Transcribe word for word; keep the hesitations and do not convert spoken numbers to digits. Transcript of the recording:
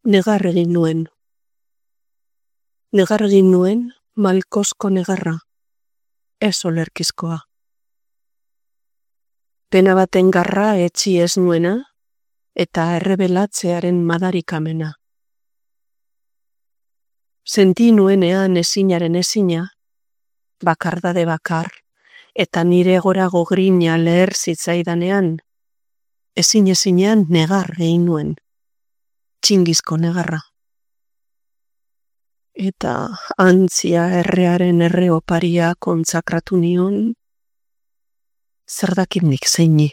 Negar egin nuen. Negar egin nuen malkozko negarra, ez olerkizkoa. Pena baten garra etxi ez nuena, eta errebelatzearen madarikamena. Senti nuenean ezinaren ezina, bakardade bakar, eta nire gorago grina leher zitzaidanean, ezin ezinean negar egin nuen, txingizko negarra. Eta antzia errearen erre oparia kontsakratu nion, zer dakit nik zeini.